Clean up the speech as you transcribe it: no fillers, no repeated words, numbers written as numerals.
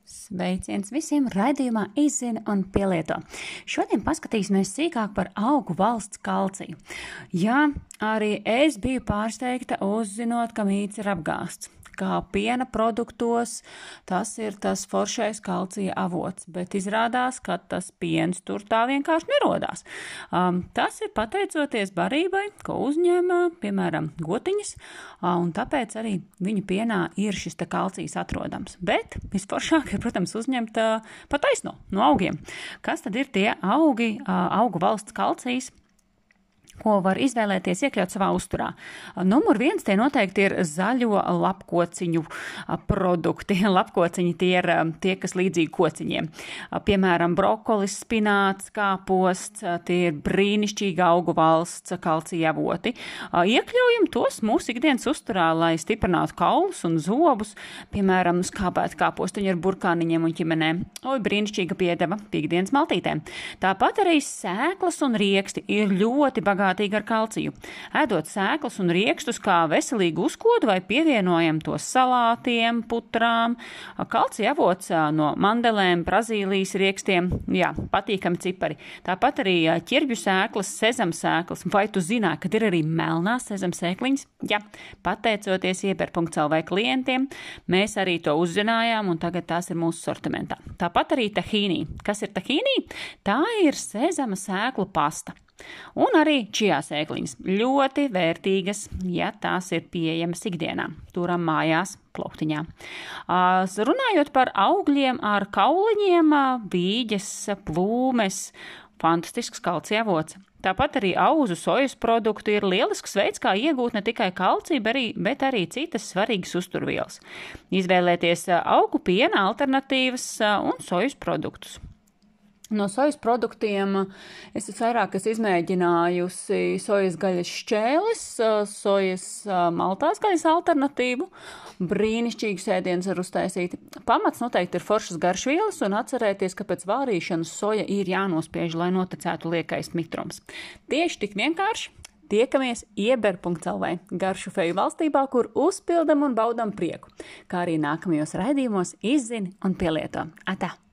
Sveiciens visiem raidījumā Izzini un pielieto. Šodien paskatīsimies sīkāk par augu valsts kalciju. Jā, arī es biju pārsteigta uzzinot, ka mīts ir apgāsts. Kā piena produktos tas ir tas foršais kalcija avots, bet izrādās, ka tas piens tur tā vienkārši nerodās. Tas ir pateicoties barībai, ko uzņem, piemēram, gotiņas, un tāpēc arī viņu pienā ir šis kalcijs atrodams. Bet visforšāk ir, protams, uzņemt pa taisno no augiem. Kas tad ir tie augu valsts kalcijs, ko var izvēlēties iekļaut savā uzturā? Numur 1 tie noteikti ir zaļo lapkociņu produkti. Lapkociņi tie ir tie, kas līdzīgi kociņiem. Piemēram, brokolis, spināts, kāposts, tie ir brīnišķīgi augu valsts kalcija avoti. Iekļaujam tos mūsu ikdienas uzturā, lai stiprinātu kaulus un zobus. Piemēram, skābēt kāpostiņu ar burkāniņiem un ķimenēm. Brīnišķīga piedeva pīkdienas maltītēm. Tāpat arī sēklas un rieksti ir ļoti bagātīgi ar kalciju. Ēdot sēklas un riekstus kā veselīgu uzkodu vai pievienojam tos salātiem, putrām. Kalcija avots no mandelēm, Brazīlijas riekstiem, jā, patīkami cipari. Tāpat arī ķirbju sēklas, sezamsēklas. Vai tu zināji, ka ir arī melnās sezamsēkliņas? Jā, pateicoties Ieber.lv klientiem, mēs arī to uzzinājām un tagad tās ir mūsu sortimentā. Tāpat arī tahīnī. Kas ir tahīnī? Tā ir sezama sēklu pasta. Un arī čijā sēkliņas. Ļoti vērtīgas, ja tās ir pieejamas ikdienā. Turam mājās plauktiņā. Runājot par augļiem ar kauliņiem, vīģes, plūmes, fantastisks kalcija avots. Tāpat arī auzu sojas produktu ir lielisks veids, kā iegūt ne tikai kalciju, bet arī citas svarīgas uzturvielas. Izvēlēties augu piena alternatīvas un sojas produktus. No sojas produktiem es vairāk izmēģinājusi sojas gaļas šķēles, sojas maltās gaļas alternatīvu. Brīnišķīgs ēdiens var uztaisīt. Pamats noteikti ir foršas garšvielas un atcerēties, ka pēc vārīšanas soja ir jānospiež, lai noticētu liekais mitrums. Tieši tik vienkārši. Tiekamies Ieber.lv garšu feju valstībā, kur uzpildam un baudam prieku, kā arī nākamajos raidījumos Izzini un pielieto. Atā!